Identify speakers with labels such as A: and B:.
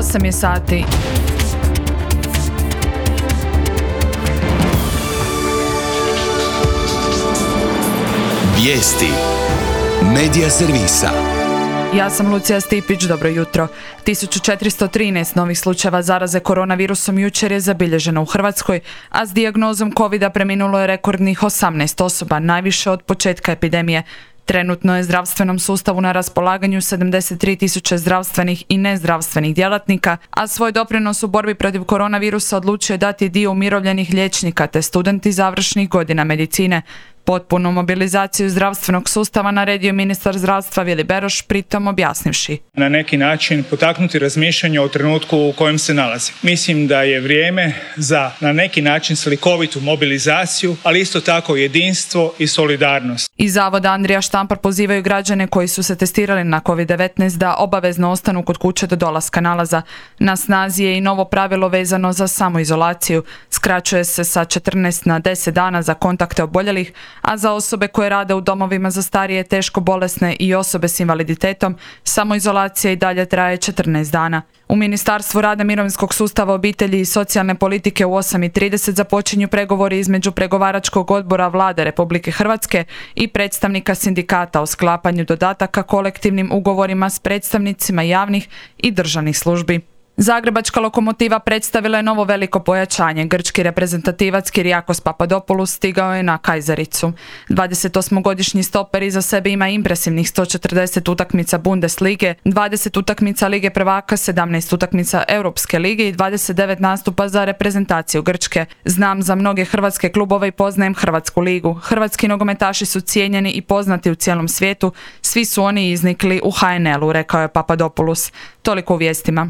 A: 8 je sati.
B: Vijesti Medija servisa.
A: Ja sam Lucija Stipić, dobro jutro. 1413 novih slučajeva zaraze koronavirusom jučer je zabilježeno u Hrvatskoj, a s dijagnozom covida preminulo je rekordnih 18 osoba, najviše od početka epidemije. Trenutno je zdravstvenom sustavu na raspolaganju 73.000 zdravstvenih i nezdravstvenih djelatnika, a svoj doprinos u borbi protiv koronavirusa odlučio je dati dio umirovljenih liječnika te studenti završnih godina medicine. Potpunu mobilizaciju zdravstvenog sustava naredio je ministar zdravstva Vili Beroš, pritom objasnivši:
C: na neki način potaknuti razmišljanje o trenutku u kojem se nalazi. Mislim da je vrijeme za na neki način slikovitu mobilizaciju, ali isto tako jedinstvo i solidarnost. Iz
A: Zavoda Andrija Štampar pozivaju građane koji su se testirali na COVID-19 da obavezno ostanu kod kuće do dolaska nalaza. Na snazi je i novo pravilo vezano za samoizolaciju. Skraćuje se sa 14 na 10 dana za kontakte oboljelih, a za osobe koje rade u domovima za starije, teško bolesne i osobe s invaliditetom, samoizolacija i dalje traje 14 dana. U Ministarstvu rada, mirovinskog sustava, obitelji i socijalne politike u 8:30 započinju pregovori između pregovaračkog odbora Vlade Republike Hrvatske i predstavnika sindikata o sklapanju dodataka kolektivnim ugovorima s predstavnicima javnih i državnih službi. Zagrebačka Lokomotiva predstavila je novo veliko pojačanje. Grčki reprezentativac Kyriakos Papadopoulos stigao je na Kajzericu. 28-godišnji stoper iza sebe ima impresivnih 140 utakmica Bundeslige, 20 utakmica Lige prvaka, 17 utakmica Europske lige i 29 nastupa za reprezentaciju Grčke. Znam za mnoge hrvatske klubove i poznajem Hrvatsku ligu. Hrvatski nogometaši su cijenjeni i poznati u cijelom svijetu. Svi su oni iznikli u HNL-u, rekao je Papadopoulos. Toliko u vijestima.